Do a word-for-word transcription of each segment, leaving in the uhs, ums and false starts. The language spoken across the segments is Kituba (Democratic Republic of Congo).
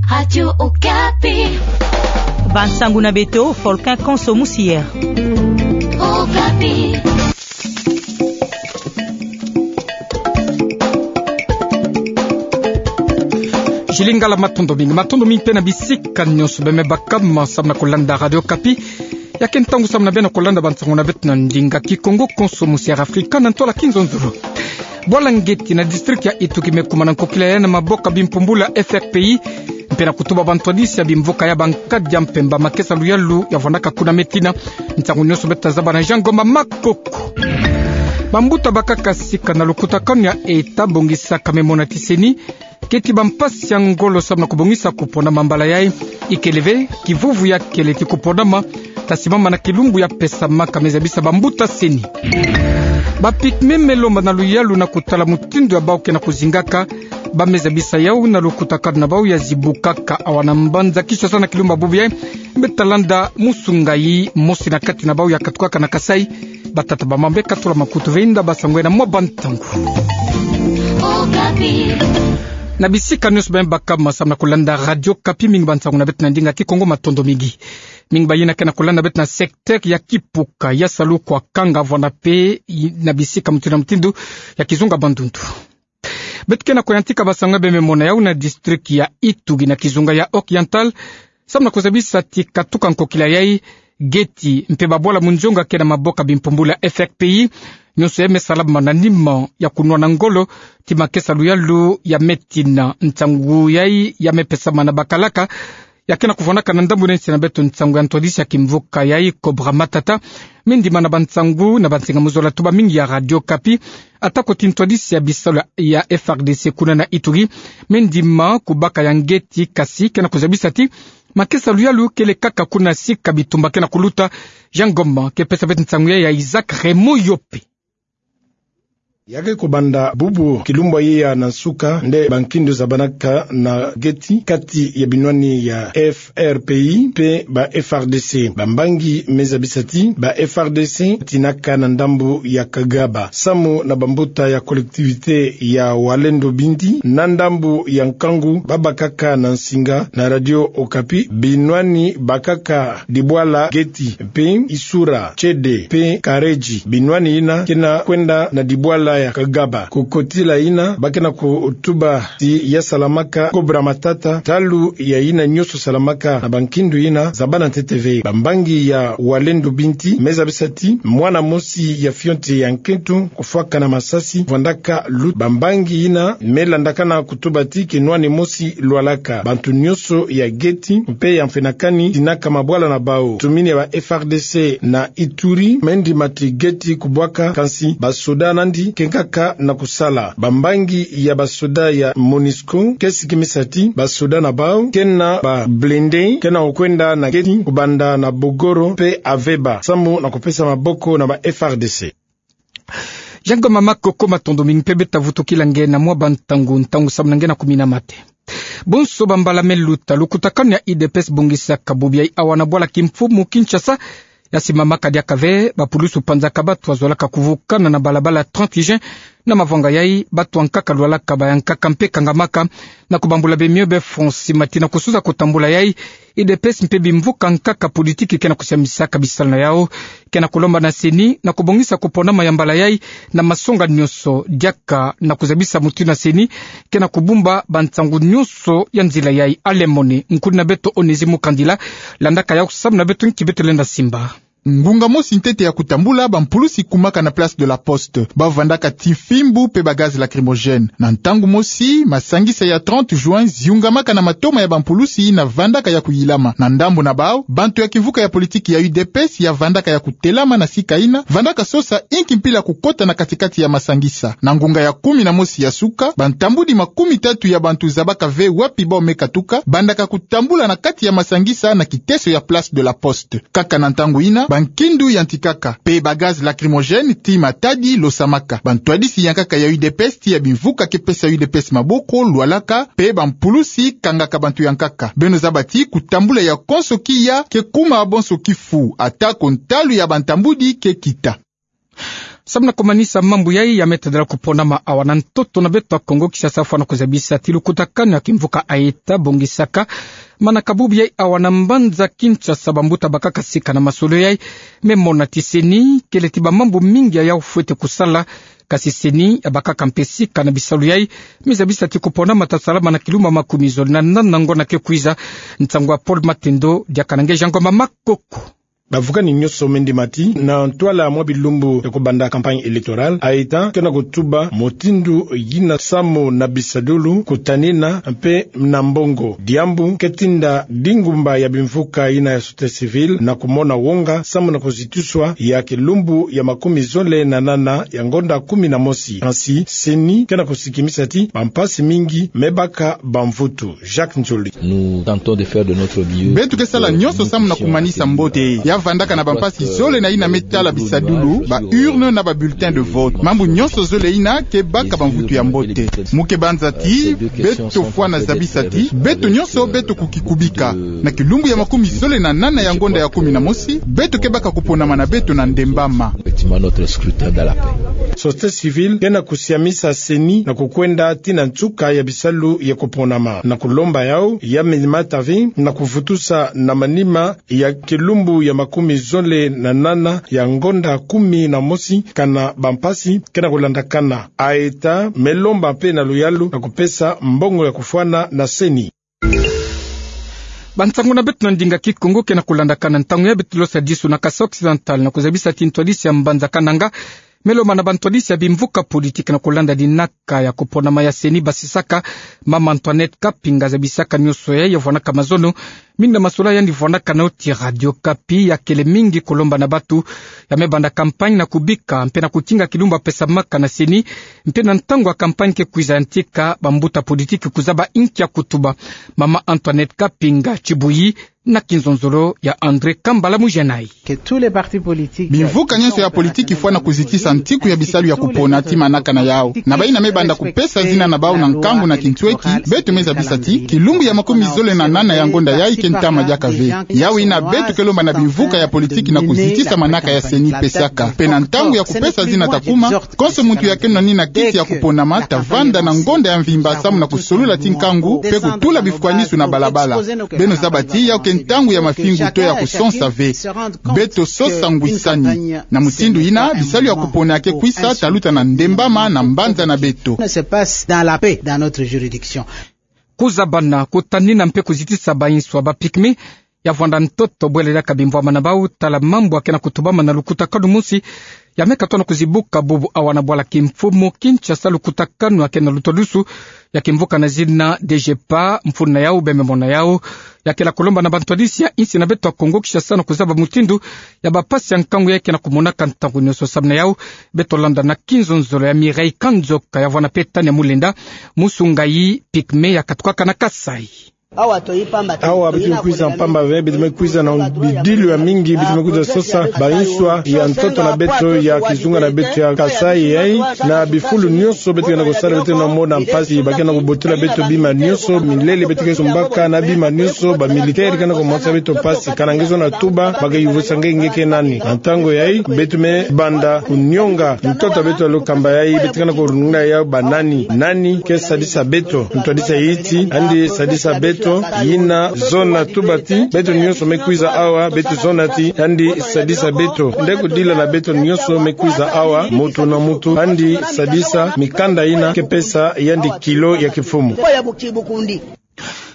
Radio Okapi. Bansangu na beto, Volcan Konso Musier. Okapi. Jili ngala matondo mingi, matondo mingi mpe na bisika nyonso beme bakama samu na kolanda Radio Okapi. Ya ke ntangu samu na beno kolanda bansangu na beto na ndinga Kikongo, Konso Musier Afrika na ntwala Kinzonzolo. Bwala ngeti na district ya Itugi me kuma na nkokila yayi na maboko ya bimpumbulu ya F R P I, mpe na kutuba bantwadisi ya bimvuka ya Bankadi ya Mpemba, makesa luyalu ya vwandaka kuna me tina. Nsangu nyonso beto tazaba na Jean Ngoma Makoko. Bambuta bakaka sika na lukutakanu ya eta bongisaka me mona ti CENI keti bampasi ya ngolo samu na kubongisa kuponama mbala yayi. Ikele ve, kivuvu ya kele ti kuponama tasimama na kilumbu ya pesamaka, me zabisa bambuta CENI. Ba Pygmées me lomba na luyalu na kutala mutindu ya bau ke na kuzingaka. Ba me zabisa yau na lukutakanu na bau ya zibukaka awa na mbanza Kinshasa na kilumbu ya bubu yayi. Mbe talanda musu ngai, mosi na kati na bau ya katukaka na Kasaï. Batata bamama, mbe katula makutu, veinda basangu na mwa bantangu. Okapi. Na bisika nyonso beme bakama samu na kolanda Radio Okapi, mingi bansangu na beto na ndinga Kikongo, matondo mingi. Mingi bayina ke na kolanda beto na secteur ya Kipuka, ya Salu, Kwakanga, vwanda mpe i-, na bisika mutindu na mutindu ya kizunga Bandundu. Beto ke na kuyantika basangu beme mona yau na district ya Itugi na kizunga ya Oriental, samu na kuzabisa ti katuka nkokila yayi, geti mpe babwala munzonga ke na maboko ya bimpumbulu ya F R P I, nyonso yeme salama na nima ya kunwana ngolo ti makesa luyalu ya me tina. Nsangu yayi ya me pesama na bakalaka ya ke na kuvwandaka na ndambu na nsi na beto, nsangu ya ntwadisi ya kimvuka yayi, Cobra Matata, me ndima na bansangu na bansinga mu zola tuba mingi ya Radio Okapi. Atako ti ntwadisi ya bisalu ya F R D C kuna na Itugi, me ndima kubaka ya ngeti, kasi ke na kuzabisa ti makesa luyalu kele kaka kuna sika bitumba ke na kuluta. Jean Ngoma ke pesa beto nsangu yayi ya Isaac Raymond Yope. Ya ke kubanda bubu kilumbu yayi ya na nsuka nde bankindu zabanaka na geti kati ya binwani ya F R P I mpe ba F R D C. Bambangi me zabisa ti ba F R D C tinaka na ndambu ya Kagaba samu na bambuta ya collectivité ya Walendu Bindi na ndambu ya Nkangu, babakaka na nsinga na Radio Okapi binwani bakaka dibwala geti mpe Isura, Tiédé mpe Karedji, binwani yina ke na kwenda na dibwala ya Kagaba. Ku kotila yina ba ke na kutuba ti ya salamaka Cobra Matata, ntalu ya yina nyonso salamaka na bankindu yina zabana ntete ve. Bambangi ya Walendu Bindi me zabisa ti mwana mosi ya fioti ya nkento kufwakana masasi vwandaka luta. Bambangi yina me landakana kutuba ti kinwani mosi lwalaka. Bantu nyonso ya geti mpe ya mfenakani tinaka mabwala na bau. Tumini ya ba F R D C na Ituri, me ndima ti geti kubwaka, kansi basoda nandi ke nkaka na kusala. Bambangi ya basoda ya MONUSCO ke sikimisa ti basoda na bau ke na ba blindés ke na kwenda na geti kubanda na Bogoro mpe Aveba samu na kupesa maboko na ba F R D C. Jean Ngoma Makoko, matondo mingi mpe. Beta vutukila nge na mwa bantangu, ntangu samu na nge na kumina mate. Bonso bambala me luta, lukutakanu ya U D P S bongisaka bubu yayi awa na bwala kimfumu Kinshasa ya simamaka diaka ve. Bapulusu panzaka batu wazolaka kuvukana na balabala trente juin na mavanga yayi, batu ya nkaka lwalaka, ba ya nkaka mpe kangamaka na kubambula bemio be fonsi mati na kusuza kutambula yayi. U D P S mpe bimvuka nkaka politiki ke na kusambisaka bisalu na yau. Ke na kulomba na CENI na kubongisa kuponama ya mbala yayi na masonga nyonso, diaka na kuzabisa mutindu na CENI ke na kubumba bansangu nyonso ya nzila yayi. Alain Mone, nkuni na beto Onésime Mukandila, landaka yau samu na beto nki beto lenda simba. Ngunga mosi ntete ya kutambula, bampulusi kumaka na Place de la Poste. Bavandaka ti fimbu mpe ba gaz lacrymogène. Na ntangu mosi, masangisa ya trente juin ziungamaka na matoma ya bampulusi yina vandaka ya kuyilama. Na ndambu na bau, bantu ya kimvuka ya politiki ya U D P S ya vandaka ya kutelama na sika yina, vandaka sosa inki mpila kukota na katikati ya masangisa. Na ngunga ya kumi na mosi ya suka, bantambudi makumi tatu ya bantu zabaka ve wapi bau me katuka, bandaka kutambula na kati ya masangisa na kiteso ya Place de la Poste. Kaka na ntangu yina, bankindu yantikaka, mpe ba gaz lacrymogène ti matadi losamaka. Bantwadisi ya nkaka ya U D P S ti ya bimvuka ke pesa U D P S maboko lwalaka, mpe bampulusi kangaka bantu ya nkaka. Beno zaba ti kutambula ya konso kiya ke kuma bonso kifu, atako ntalu ya bantambudi ke kita. Samu na kumanisa mambu yai, ya me tadala kuponama awa na ntoto na beto ya Kongo Kinshasa, fwana kuzabisa ti lukutakanu ya kimvuka Aeta bongisaka manaka bubu yai awa na mbanza Kinshasa, bambuta bakaka sika na masolo yai. Me mona ti CENI kele ti bamambu mingi yayau fwete kusala, kasi CENI yabakaka mpe sika na bisalu yai. Me zabisa ti kuponama tasalama na kilumbu ya makumi zole na nana ngonda ke kwiza. Nsangu ya Paul Matendo, diaka na nge Jean Ngoma Makoko. Bavukani nyonso me ndimati na ntwala mwa bilumbu ya kubanda campagne électorale, Aeta ke na kutuba mutindu yina samu na bisadulu, kutanina mpe na mbongo. Diambu ke tinda dingumba ya bimvuka yina ya société civile na kumona wonga samu na kuzitiswa ya kilumbu ya makumi zole na nana ya ngonda kumi na mosi. Kansi CENI ke na kusikimisa ti bampasi mingi me baka bamvutu. Jacques Nzoli. Nous tentons de faire de notre mieux. Beto ke sala nyonso samu na kumanisa mbote. Ya vandaka na bampasi zole na yina me tala bisadulu, ba urne na ba bulletin de vote. Mambu nyonso zole yina ke baka bamvutu ya mbote. Mu ke banza ti beto fwana zabisa ti beto nyonso beto kukikubika. Na kilumbu ya makumi zole na nana ya ngonda ya kumi na mosi, beto ke baka kuponama na beto na ndembama. Effectivement, notre scrutin dans la paix. Société civile ke na kusiamisa CENI na kukwenda tii na nsuka ya bisalu ya kuponama, na kulomba yau ya me mata ve na kuvutusa na manima ya kilumbu ya makumi zole na nana ya ngonda kumi na mosi, kana bampasi ke na kulandakana. Aeta me lomba mpe na luyalu na kupesa mbongo ya kufwana na CENI. Bansangu na beto na ndinga Kikongo ke na kulandakana. Ntangu yai beto losa disu na Kasaï Occidental na kuzabisa ti ntwadisi ya mbanza Kananga me lomba na bantwadisi ya bimvuka politique na kulanda dinaka ya kuponama ya CENI basisaka. Mama Antoinette Kapinga zabisaka nyonso yai, ya vwanaka mazono mingi na masolo yandi vwanaka nao ti Radio Okapi. Ya kele mingi kulomba na bato ya me banda campagne na kubika mpe na kutinga kilumbu ya pesamaka na CENI, mpe na ntangu ya campagne ke kwiza yantika bambuta politique kuzaba inki ya kutuba. Mama Antoinette Kapinga Tibuyi na kinzonzolo ya André Kambala Mujanai. Bimvuka nyonso ya politique fwana kuzitisa ntiku ya bisalu ya kupona ti manaka na yau. Na bayina me banda kupesa zina na bau na nkangu na kintweki, beto me zabisa ti kilumbu ya makumi zole na nana ya ngonda yai ke ntama diaka ve. Yau yina beto ke lomba na bimvuka ya politique na kuzitisa manaka ya CENI pesaka. Mpe na ntangu ya kupesa zina ta kuma, konso muntu ya keno na nina kiti ya kuponama ta vanda na ngonda ya mvimba samu na kusolula ti nkangu mpe kutula bifukwanisulu na balabala. Beno zaba ti yau ke ntangu ya mafingu to ya kusonsa ve. Beto sosa ngwisani. Na mutindu yina, bisalu ya kupona ya ke kwisa ta luta na ndembama na mbanza na beto. Kuzabana, kutanina mpe kuzitisa banswa ba pygmée ya vwanda ntoto bwela diaka bimvwama na bau, tala mambu ya ke na kutubama na lukutakanu mosi ya me katwa na kuzibuka bubu awa na bwala kimfumu Kinshasa. Lukutakanu ya ke na lutwadusu ya kimvuka na zina DGPA, mfunu na yau beno me mona yau, ya kela kulomba na bantwadisi ya insi na beto ya Kongo Kinshasa na kuzaba mutindu ya bampasi ya nkangu yai ke na kumonaka ntangu nyonso. Samu na yau, beto landa na kinzonzolo ya Mireille Kanzoka ya vwanda mpe Tania Mulenda, musu ngayi pygmée ya katukaka na Kasaï. Awa beto me kwiza mpamba ve, beto me kwiza na bidilu ya mingi, beto me kwiza sosa banswa ya ntoto na beto, ya kizunga na beto ya Kasaï yai, na bifulu nyonso beto ke na kusala, beto ke na mona mpasi, ba ke na kubotila beto bima nyonso, milele beto ke sumbaka na bima nyonso, ba militaire ke na kumonisa beto mpasi, kana nge zona tuba, ba ke yuvisa nge, nge ke nani. Na ntangu yai, beto me banda kunionga ntoto ya beto ya lukamba yai, beto ke na kulungula yau ba nani, nani ke sadisa beto, ntwadisi ya insi, yandi sadisa beto, yina zona tuba ti beto nyonso me kwiza awa, beto zona ti yandi sadisa beto. Nde kudila na beto nyonso me kwiza awa, muntu na muntu yandi sadisa mikanda yina ke pesa yandi kilo ya kimfumu.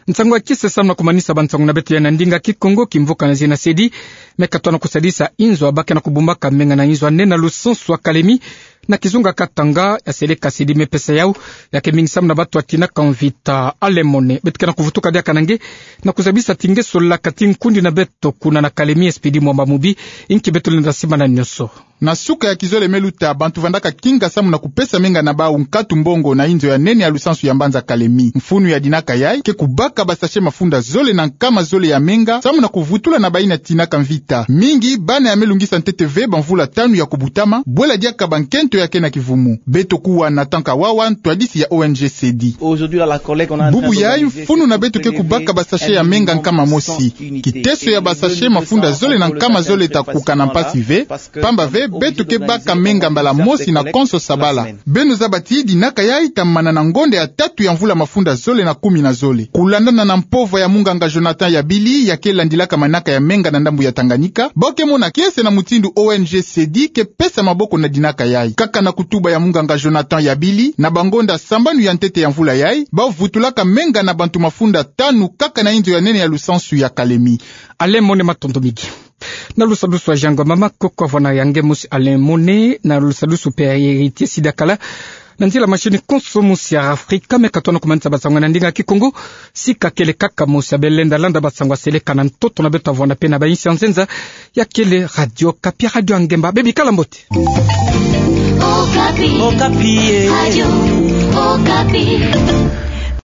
Nsangu ya kisa samu na kumanisa bansangu na beto ya na ndinga Kikongo. Kimvuka na zina CEDI me katwa na kusadisa inzo ya ba ke na kubumbaka menga na inzo ya nene ya lusansu ya Kalemie na kizunga Katanga, ya seleka CEDI me pesa yau, ya ke mingi samu na bato ya tinaka mvita. Alemone, beto ke na kuvutuka diaka na nge na kuzabisa ti nge solaka ti nkundi na beto kuna na Kalemie, Expédit Mwamba Mubi, inki beto lenda simana nyonso. Na suka ya kizole me luta, bantu vandaka kinga samu na kupesa menga na bau nkatu mbongo na inzo ya nene ya lusansu ya mbanza Kalemie. Mfunu ya dinaka yai ke kubaka ba sachet mafunda zole na nkama zole ya menga samu na kuvutula na bayina tinaka mvita. Mingi bana ya me lungisa ntete ve bamvula tanu ya kubutama, bwela diaka bankento ya ke na kivumu. Beto kuwa na Tanka Wawa, ntwadisi ya ONG CEDI. Bubu yai mfunu na beto ke kubaka ba sachet ya menga nkama mosi. Kiteso ya ba sachet mafunda zole na nkama zole ta kuka na mpasi ve, mpamba ve Beto ke baka menga mbala mosi na konso sabala. Beno zaba ti dinaka yayi tamana na ngonda ya tatu ya mvula mafunda zole na kumi na zole. Kulandana na mpova ya munganga Jonathan Yabili, ya ke landilaka manaka ya menga na ndambu ya Tanganyika, bau ke mona kiese na mutindu O N G Sedi ke pesa maboko na dinaka yayi. Kaka na kutuba ya munganga Jonathan Yabili, na bangonda sambanu ya ntete ya mvula yayi, bau vutulaka menga na bantu mafunda tanu kaka na inzo ya nene ya lusansu ya Kalemi. Alain Mone, matondo mingi. Na lusadusu wa Jean Ngoma Makoko, avwani ya nge mosi Alain Mone, na lusadusu mpe ya Héritier Sidakala. Na nzila machine konso mosi ya Afrika, me katona kumanisa basango na ndinga Kikongo. Sika kele kaka mosi, beno lenda landa basango ya seleka na ntoto na beto, avwani mpe na bainsi ya nzenza. Ya kele Radio Okapi, Radio ya nge mba. Beno bikala mbote. Okapi. Okapi, eh. Radio Okapi.